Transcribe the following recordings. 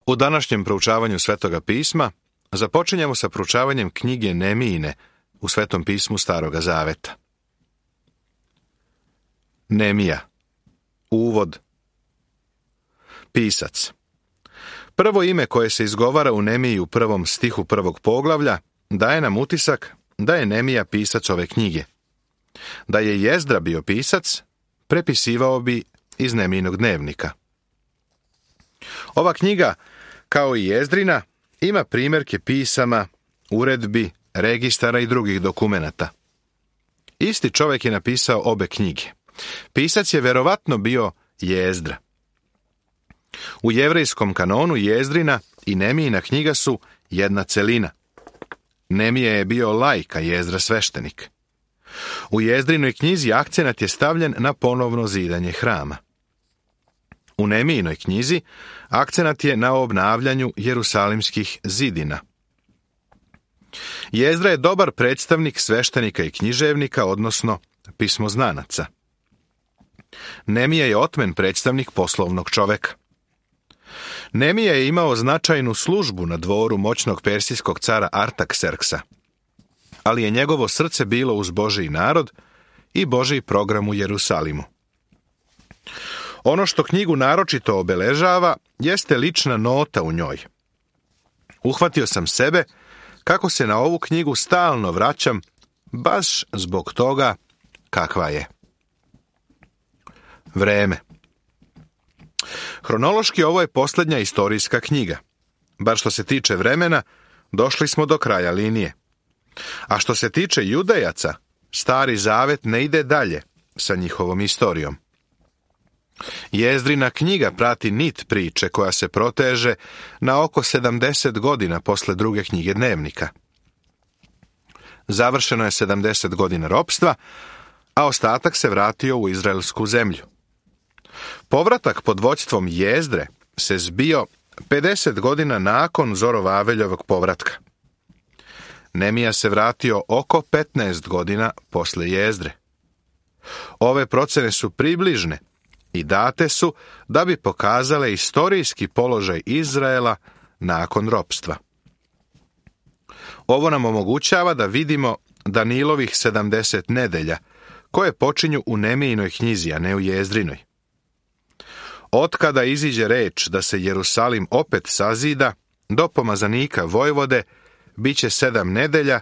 U današnjem proučavanju Svetoga pisma započinjemo sa proučavanjem knjige Nemijine u Svetom pismu Staroga zaveta. Nemija. Uvod. Pisac. Prvo ime koje se izgovara u Nemiji u 1. stihu 1. poglavlja daje nam utisak da je Nemija pisac ove knjige. Da je Jezdra bio pisac, prepisivao bi iz Nemijinog dnevnika. Ova knjiga, kao i Jezdrina, ima primjerke pisama, uredbi, registara i drugih dokumenata. Isti čovjek je napisao obe knjige. Pisac je verovatno bio Jezdra. U jevrejskom kanonu Jezdrina i Nemijina knjiga su jedna celina. Nemija je bio laik, a Jezdra sveštenik. U Jezdrinoj knjizi akcenat je stavljen na ponovno zidanje hrama. U Nemijinoj knjizi akcenat je na obnavljanju jerusalimskih zidina. Jezdra je dobar predstavnik sveštenika i književnika, odnosno pismoznanaca. Nemija je otmen predstavnik poslovnog čoveka. Nemija je imao značajnu službu na dvoru moćnog persijskog cara Artakserksa, ali je njegovo srce bilo uz Božji narod i Božji program u Jerusalimu. Ono što knjigu naročito obeležava jeste lična nota u njoj. Uhvatio sam sebe kako se na ovu knjigu stalno vraćam, baš zbog toga kakva je. Vreme. Hronološki ovo je posljednja istorijska knjiga. Bar što se tiče vremena, došli smo do kraja linije. A što se tiče Judejaca, Stari Zavet ne ide dalje sa njihovom istorijom. Jezdrina knjiga prati nit priče koja se proteže na oko 70 godina posle druge knjige dnevnika. Završeno je 70 godina ropstva, a ostatak se vratio u izraelsku zemlju. Povratak pod vođstvom Jezdre se zbio 50 godina nakon Zorovaveljovog povratka. Nemija se vratio oko 15 godina posle Jezdre. Ove procene su približne i date su da bi pokazale istorijski položaj Izraela nakon ropstva. Ovo nam omogućava da vidimo Danilovih 70 nedelja, koje počinju u Nemijinoj knjizi, a ne u Jezdrinoj. Otkada iziđe reč da se Jerusalim opet sazida, do pomazanika Vojvode bit će 7 nedelja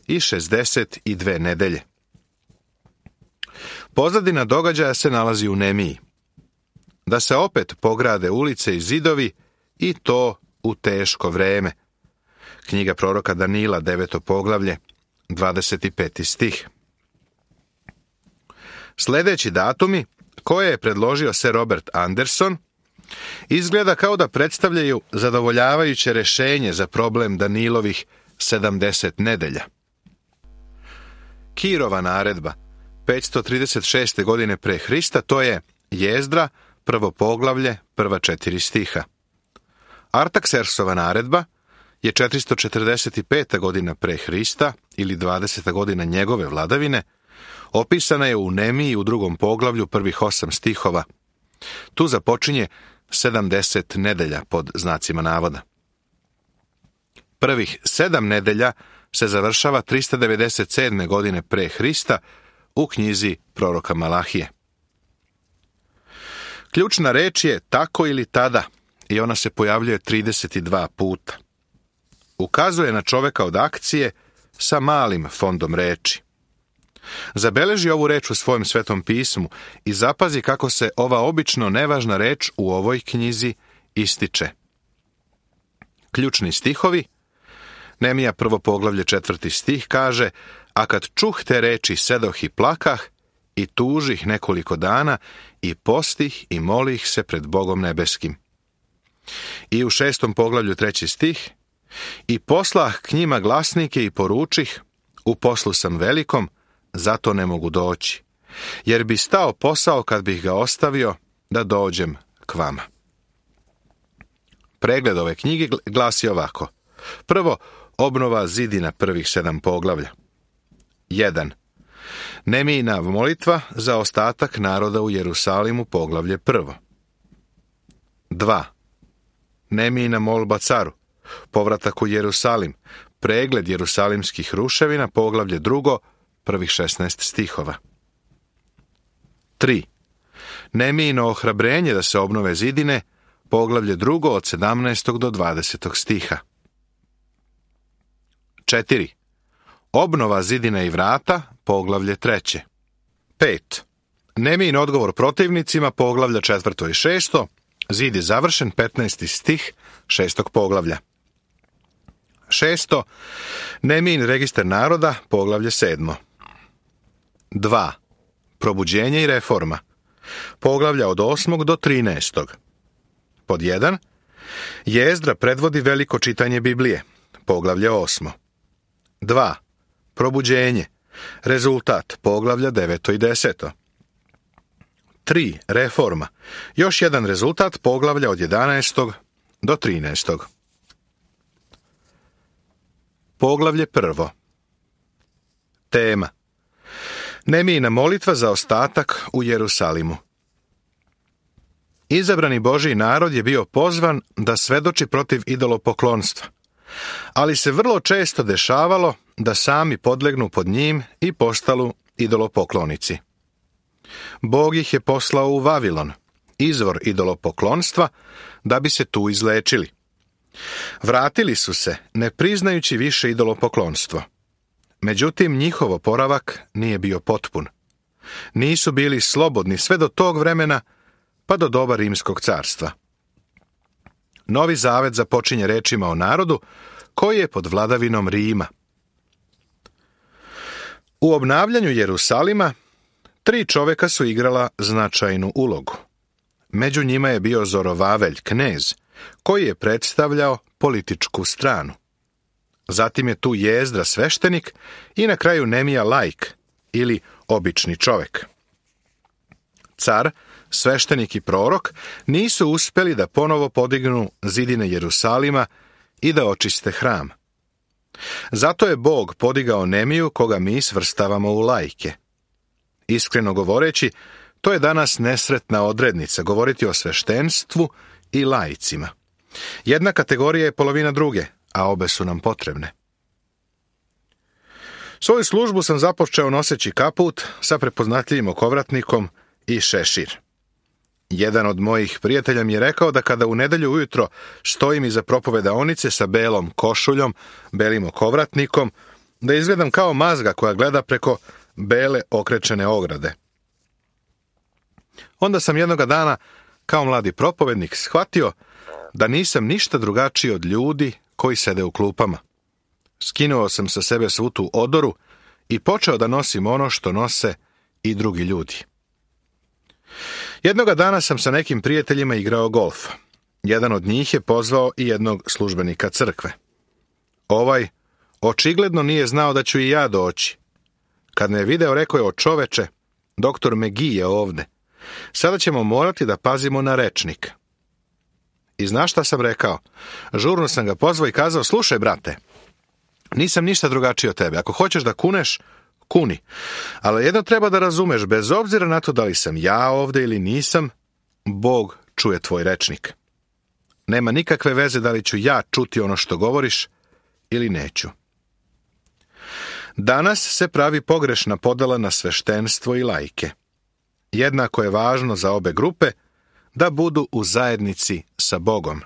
i 62 nedelje. Pozadina događaja se nalazi u Nemiji. Da se opet pograde ulice i zidovi, i to u teško vreme. Knjiga proroka Danila, 9. poglavlje, 25. stih. Sljedeći datumi, koje je predložio Sir Robert Anderson, izgleda kao da predstavljaju zadovoljavajuće rješenje za problem Danilovih 70 nedelja. Kirova naredba, 536. godine pre Hrista, to je Jezdra, 1. poglavlje, prva 4 stiha. Artaksersova naredba je 445. godina pre Hrista, ili 20. godina njegove vladavine, opisana je u Nemiji u 2. poglavlju prvih 8 stihova. Tu započinje 70 nedelja pod znacima navoda. Prvih 7 nedelja se završava 397. godine pre Hrista u knjizi proroka Malahije. Ključna reč je tako ili tada i ona se pojavljuje 32 puta. Ukazuje na čoveka od akcije sa malim fondom reči. Zabeleži ovu reč u svojem Svetom pismu i zapazi kako se ova obično nevažna reč u ovoj knjizi ističe. Ključni stihovi. Nemija 1. poglavlje 4. stih kaže: a kad čuh te reči sedoh i plakah i tužih nekoliko dana i postih i molih se pred Bogom nebeskim. I u 6. poglavlju 3. stih: i poslah k njima glasnike i poručih, u poslu sam velikom, zato ne mogu doći, jer bi stao posao kad bih ga ostavio da dođem k vama. Pregled ove knjige glasi ovako. Prvo, obnova zidina prvih 7 poglavlja. 1. Nemijina molitva za ostatak naroda u Jerusalimu, poglavlje 1. 2. Nemijina molba caru, povratak u Jerusalim, pregled jerusalimskih ruševina, poglavlje 2, prvih 16 stihova. 3. Nemijino ohrabrenje da se obnove zidine, poglavlje 2 od 17. do 20. stiha. 4. Obnova zidine i vrata, poglavlje 3. 5. Nemijin odgovor protivnicima, poglavlja 4. i 6. Zid je završen, 15. stih 6. poglavlja. 6. Nemijin registar naroda, poglavlje 7. 2. Probuđenje i reforma, poglavlja od 8. do 13. Pod 1. Jezdra predvodi veliko čitanje Biblije, poglavlje 8. 2. Probuđenje, rezultat, poglavlja 9. i 10. 3. Reforma, još jedan rezultat, poglavlja od 11. do 13. Poglavlje 1. Tema: Nemijina molitva za ostatak u Jerusalimu. Izabrani Božji narod je bio pozvan da svedoči protiv idolopoklonstva, ali se vrlo često dešavalo da sami podlegnu pod njim i postanu idolopoklonici. Bog ih je poslao u Vavilon, izvor idolopoklonstva, da bi se tu izlečili. Vratili su se, ne priznajući više idolopoklonstvo. Međutim, njihov oporavak nije bio potpun. Nisu bili slobodni sve do tog vremena, pa do doba Rimskog carstva. Novi zavet započinje rečima o narodu koji je pod vladavinom Rima. U obnavljanju Jerusalima 3 čovjeka su igrala značajnu ulogu. Među njima je bio Zorovavelj, knez, koji je predstavljao političku stranu. Zatim je tu Jezdra, sveštenik, i na kraju Nemija, laik, ili obični čovjek. Car, sveštenik i prorok nisu uspjeli da ponovo podignu zidine Jerusalima i da očiste hram. Zato je Bog podigao Nemiju, koga mi svrstavamo u laike. Iskreno govoreći, to je danas nesretna odrednica, govoriti o sveštenstvu i laicima. Jedna kategorija je polovina druge, a obe su nam potrebne. Svoju službu sam započeo noseći kaput sa prepoznatljivim okovratnikom i šešir. Jedan od mojih prijatelja mi je rekao da kada u nedjelju ujutro stojim iza propovedaonice sa belom košuljom, belim okovratnikom, da izgledam kao mazga koja gleda preko bele okrečene ograde. Onda sam jednoga dana, kao mladi propovednik, shvatio da nisam ništa drugačiji od ljudi koji sede u klupama. Skinuo sam sa sebe svu tu odoru i počeo da nosim ono što nose i drugi ljudi. Jednoga dana sam sa nekim prijateljima igrao golf. Jedan od njih je pozvao i jednog službenika crkve. Ovaj očigledno nije znao da ću i ja doći. Kad me je video, rekao je: "O čoveče, doktor McGee je ovde. Sada ćemo morati da pazimo na rečnik." I znaš šta sam rekao? Žurno sam ga pozvao i kazao: "Slušaj, brate, nisam ništa drugačiji od tebe. Ako hoćeš da kuneš, kuni. Ali jedno treba da razumeš, bez obzira na to da li sam ja ovde ili nisam, Bog čuje tvoj rečnik. Nema nikakve veze da li ću ja čuti ono što govoriš ili neću." Danas se pravi pogrešna podela na sveštenstvo i laike. Jednako je važno za obe grupe da budu u zajednici sa Bogom.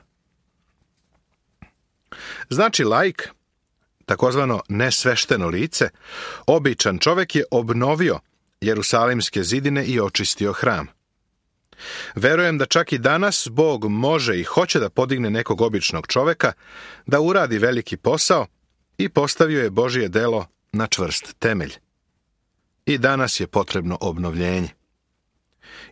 Znači, laik, takozvano nesvešteno lice, običan čovjek, je obnovio jerusalimske zidine i očistio hram. Verujem da čak i danas Bog može i hoće da podigne nekog običnog čovjeka, da uradi veliki posao, i postavio je Božje delo na čvrst temelj. I danas je potrebno obnovljenje.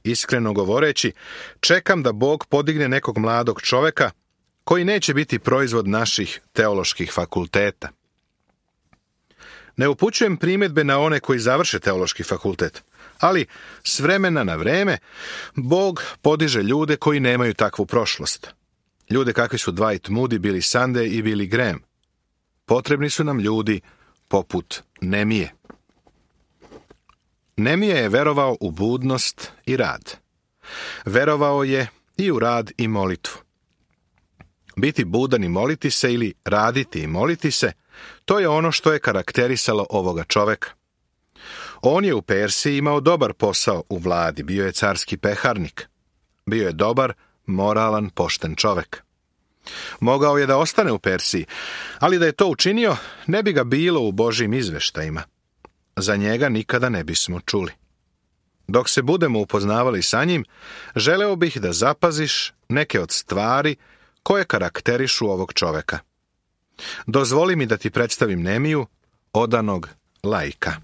Iskreno govoreći, čekam da Bog podigne nekog mladog čovjeka koji neće biti proizvod naših teoloških fakulteta. Ne upućujem primjedbe na one koji završe teološki fakultet, ali s vremena na vreme Bog podiže ljude koji nemaju takvu prošlost. Ljude kakvi su Dwight Moody, Billy Sunday i Billy Graham. Potrebni su nam ljudi poput Nemije. Nemija je verovao u budnost i rad. Verovao je i u rad i molitvu. Biti budan i moliti se ili raditi i moliti se, to je ono što je karakterisalo ovoga čoveka. On je u Persiji imao dobar posao u vladi, bio je carski peharnik. Bio je dobar, moralan, pošten čovek. Mogao je da ostane u Persiji, ali da je to učinio, ne bi ga bilo u Božjim izveštajima. Za njega nikada ne bismo čuli. Dok se budemo upoznavali sa njim, želeo bih da zapaziš neke od stvari koje karakterišu ovog čoveka. Dozvoli mi da ti predstavim Nemiju, odanog laika.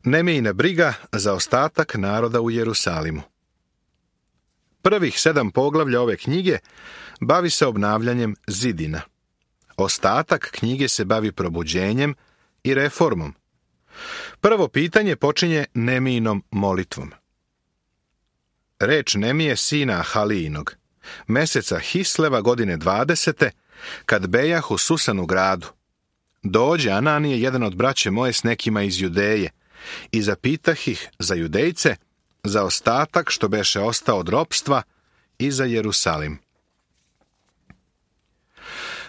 Nemijina briga za ostatak naroda u Jerusalimu. Prvih 7 poglavlja ove knjige bavi se obnavljanjem zidina. Ostatak knjige se bavi probuđenjem i reformom. Prvo pitanje počinje Nemijinom molitvom. Reč Nemije, sina Halijinog, meseca Hisleva, godine 20. kad bejah u Susanu gradu. Dođe Ananije, jedan od braće moje, s nekima iz Judeje, i zapitah ih za Judejce, za ostatak što beše ostao od ropstva, i za Jerusalim.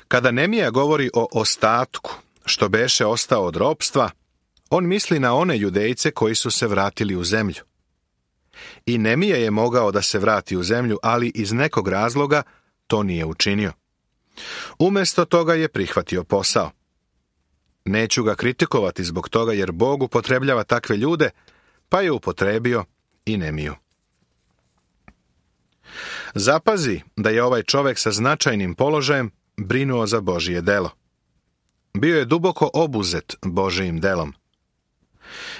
Kada Nemija govori o ostatku što beše ostao od ropstva, on misli na one Judejce koji su se vratili u zemlju. I Nemija je mogao da se vrati u zemlju, ali iz nekog razloga to nije učinio. Umjesto toga je prihvatio posao. Neću ga kritikovati zbog toga, jer Bog upotrebljava takve ljude, pa je upotrebio i Nemiju. Zapazi da je ovaj čovek sa značajnim položajem brinuo za Božije delo. Bio je duboko obuzet Božijim delom.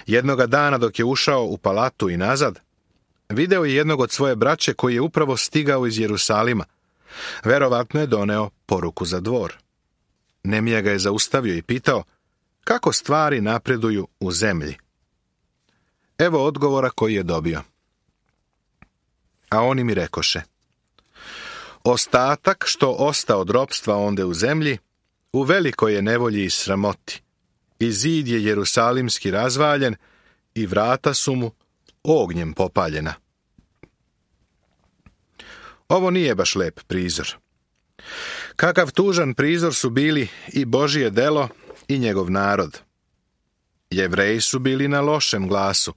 Jednoga dana dok je ušao u palatu i nazad, video je jednog od svoje braće koji je upravo stigao iz Jerusalima. Verovatno je doneo poruku za dvor. Nemija ga je zaustavio i pitao kako stvari napreduju u zemlji. Evo odgovora koji je dobio. A oni mi rekoše: ostatak što osta od ropstva onde u zemlji, u velikoj je nevolji i sramoti. I zid je jerusalimski razvaljen i vrata su mu ognjem popaljena. Ovo nije baš lep prizor. Kakav tužan prizor su bili i Božije delo i njegov narod. Jevreji su bili na lošem glasu,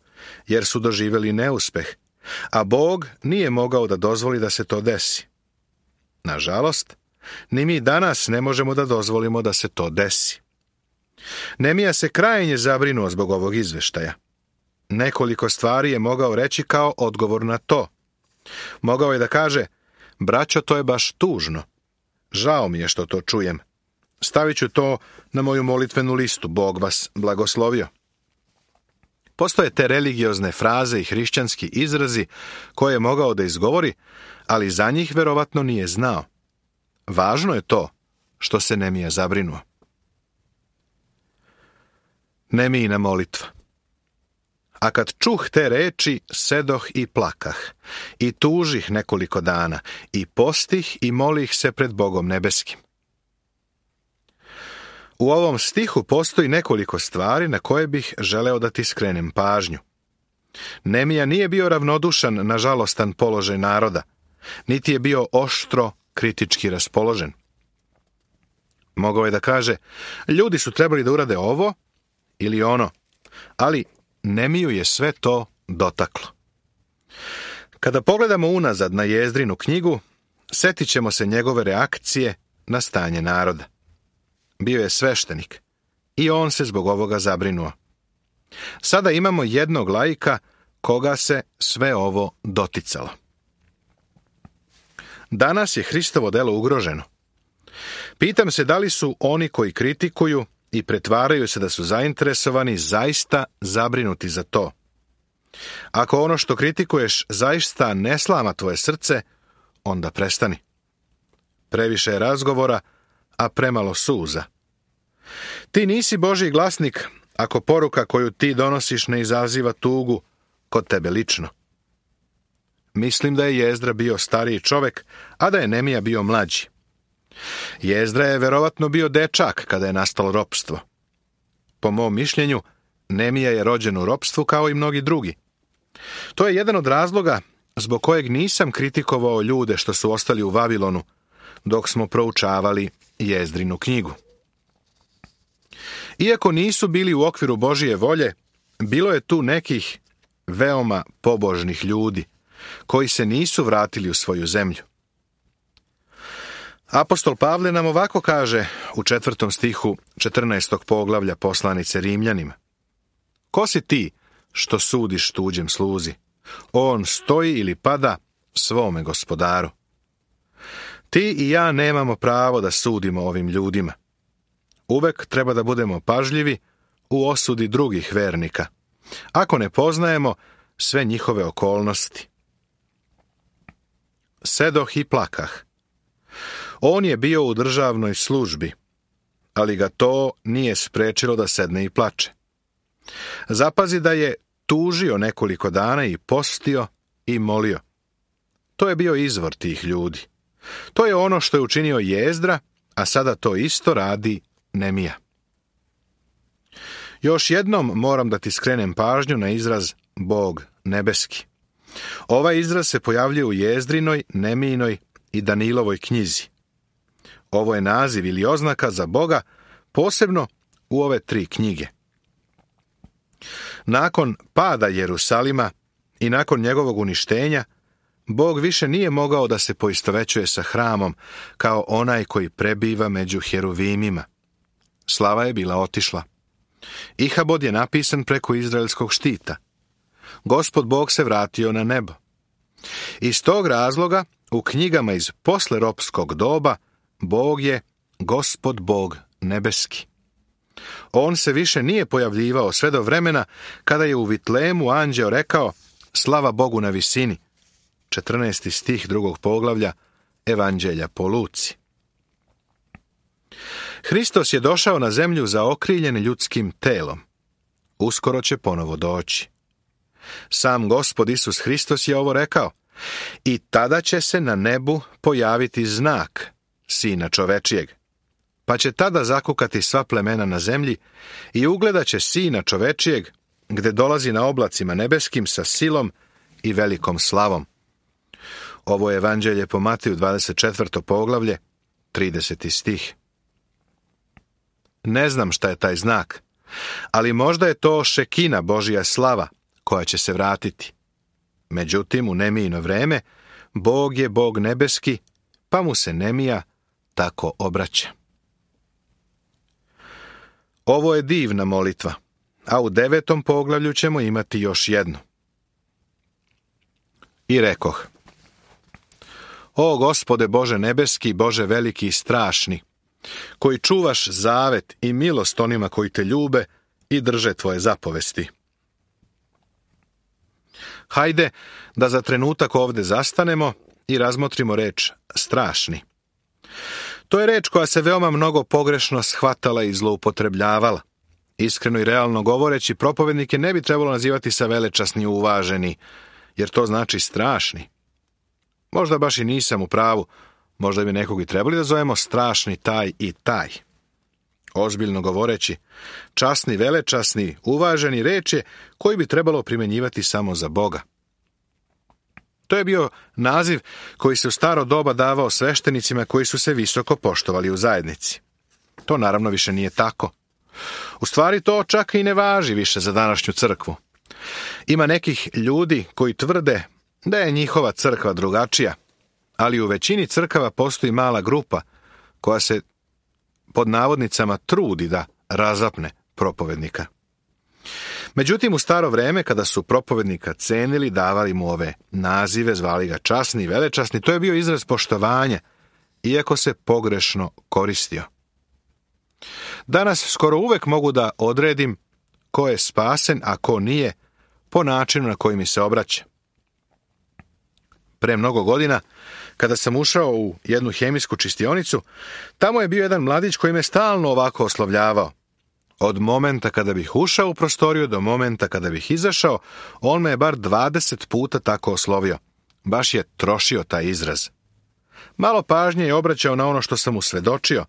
jer su doživjeli neuspeh, a Bog nije mogao da dozvoli da se to desi. Nažalost, ni mi danas ne možemo da dozvolimo da se to desi. Nemija se krajnje zabrinuo zbog ovog izveštaja. Nekoliko stvari je mogao reći kao odgovor na to. Mogao je da kaže: braćo, to je baš tužno. Žao mi je što to čujem. Stavit ću to na moju molitvenu listu. Bog vas blagoslovio. Postoje te religiozne fraze i hrišćanski izrazi koje je mogao da izgovori, ali za njih verovatno nije znao. Važno je to što se Nemija zabrinuo. Nemijina molitva. A kad čuh te reči, sedoh i plakah, i tužih nekoliko dana, i postih i molih se pred Bogom nebeskim. U ovom stihu postoji nekoliko stvari na koje bih želeo da ti skrenem pažnju. Nemija nije bio ravnodušan na žalostan položaj naroda, niti je bio oštro kritički raspoložen. Mogao je da kaže: ljudi su trebali da urade ovo ili ono, ali Nemiju je sve to dotaklo. Kada pogledamo unazad na Jezdrinu knjigu, setit ćemo se njegove reakcije na stanje naroda. Bio je sveštenik i on se zbog ovoga zabrinuo. Sada imamo jednog laika koga se sve ovo doticalo. Danas je Hristovo delo ugroženo. Pitam se da li su oni koji kritikuju i pretvaraju se da su zainteresovani zaista zabrinuti za to. Ako ono što kritikuješ zaista ne slama tvoje srce, onda prestani. Previše je razgovora, a premalo suza. Ti nisi Božji glasnik ako poruka koju ti donosiš ne izaziva tugu kod tebe lično. Mislim da je Jezdra bio stariji čovek, a da je Nemija bio mlađi. Jezdra je verovatno bio dečak kada je nastalo ropstvo. Po mom mišljenju, Nemija je rođen u ropstvu kao i mnogi drugi. To je jedan od razloga zbog kojeg nisam kritikovao ljude što su ostali u Vavilonu, dok smo proučavali Jezdrinu knjigu. Iako nisu bili u okviru Božije volje, bilo je tu nekih veoma pobožnih ljudi, koji se nisu vratili u svoju zemlju. Apostol Pavle nam ovako kaže u 4. stihu 14. poglavlja poslanice Rimljanima. Ko si ti što sudiš tuđem sluzi? On stoji ili pada svome gospodaru. Ti i ja nemamo pravo da sudimo ovim ljudima. Uvek treba da budemo pažljivi u osudi drugih vernika, ako ne poznajemo sve njihove okolnosti. Sedoh i plakah. On je bio u državnoj službi, ali ga to nije sprečilo da sedne i plače. Zapazi da je tužio nekoliko dana i postio i molio. To je bio izvor tih ljudi. To je ono što je učinio Jezdra, a sada to isto radi Nemija. Još jednom moram da ti skrenem pažnju na izraz Bog nebeski. Ovaj izraz se pojavljuje u Jezdrinoj, Nemijinoj i Danilovoj knjizi. Ovo je naziv ili oznaka za Boga, posebno u ove 3 knjige. Nakon pada Jerusalima i nakon njegovog uništenja, Bog više nije mogao da se poistovećuje sa hramom kao onaj koji prebiva među heruvimima. Slava je bila otišla. Ihabod je napisan preko izraelskog štita. Gospod Bog se vratio na nebo. Iz tog razloga u knjigama iz posleropskog doba Bog je Gospod Bog nebeski. On se više nije pojavljivao sve do vremena kada je u Vitlemu anđeo rekao slava Bogu na visini. 14. stih 2. poglavlja Evanđelja po Luci. Hristos je došao na zemlju zaokriljen ljudskim telom. Uskoro će ponovo doći. Sam Gospod Isus Hristos je ovo rekao. I tada će se na nebu pojaviti znak Sina čovečijeg. Pa će tada zakukati sva plemena na zemlji i ugledat će Sina čovečijeg, gde dolazi na oblacima nebeskim sa silom i velikom slavom. Ovo je Evanđelje po Mateju 24. poglavlje, 30. stih. Ne znam šta je taj znak, ali možda je to Šekina, Božja slava, koja će se vratiti. Međutim, u Nemijino vreme, Bog je Bog nebeski, pa mu se Nemija tako obraća. Ovo je divna molitva, a u 9. poglavlju ćemo imati još jednu. I rekoh, o Gospode Bože nebeski, Bože veliki i strašni, koji čuvaš zavet i milost onima koji te ljube i drže tvoje zapovesti. Hajde da za trenutak ovde zastanemo i razmotrimo reč strašni. To je reč koja se veoma mnogo pogrešno shvatala i zloupotrebljavala. Iskreno i realno govoreći, propovednike ne bi trebalo nazivati sa velečasni uvaženi, jer to znači strašni. Možda baš i nisam u pravu, možda bi nekog i trebali da zovemo strašni taj i taj. Ozbiljno govoreći, časni, velečasni, uvaženi reč je koji bi trebalo primjenjivati samo za Boga. To je bio naziv koji se u staro doba davao sveštenicima koji su se visoko poštovali u zajednici. To naravno više nije tako. U stvari to čak i ne važi više za današnju crkvu. Ima nekih ljudi koji tvrde da je njihova crkva drugačija, ali u većini crkava postoji mala grupa koja se pod navodnicama trudi da razapne propovednika. Međutim, u staro vreme, kada su propovednika cenili, davali mu ove nazive, zvali ga časni i velečasni, to je bio izraz poštovanja, iako se pogrešno koristio. Danas skoro uvek mogu da odredim ko je spasen, a ko nije, po načinu na koji mi se obraća. Pre mnogo godina, kada sam ušao u jednu hemijsku čistionicu, tamo je bio jedan mladić koji me stalno ovako oslovljavao. Od momenta kada bih ušao u prostoriju do momenta kada bih izašao, on me je bar 20 puta tako oslovio. Baš je trošio taj izraz. Malo pažnje je obraćao na ono što sam mu svedočio,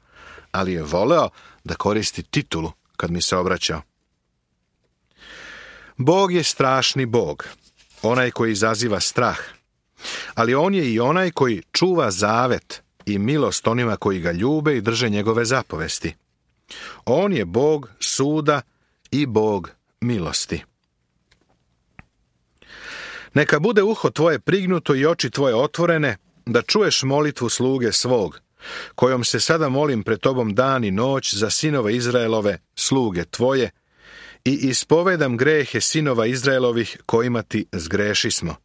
ali je voleo da koristi titulu kad mi se obraćao. Bog je strašni Bog, onaj koji izaziva strah, Ali on je i onaj koji čuva zavet i milost onima koji ga ljube i drže njegove zapovesti. On je Bog suda i Bog milosti. Neka bude uho tvoje prignuto i oči tvoje otvorene, da čuješ molitvu sluge svog, kojom se sada molim pred tobom dan i noć za sinove Izraelove, sluge tvoje, i ispovedam grehe sinova Izraelovih kojima ti zgrešismo.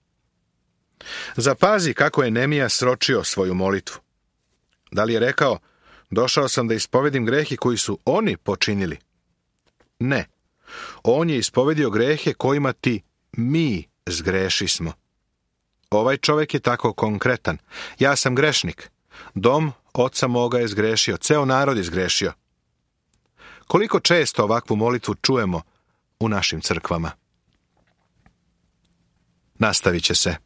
Zapazi kako je Nemija sročio svoju molitvu. Da li je rekao, došao sam da ispovedim grehe koji su oni počinili? Ne. On je ispovedio grehe kojima ti mi zgrešismo. Ovaj čovjek je tako konkretan. Ja sam grešnik. Dom oca moga je zgrešio. Ceo narod je zgrešio. Koliko često ovakvu molitvu čujemo u našim crkvama? Nastavit će se.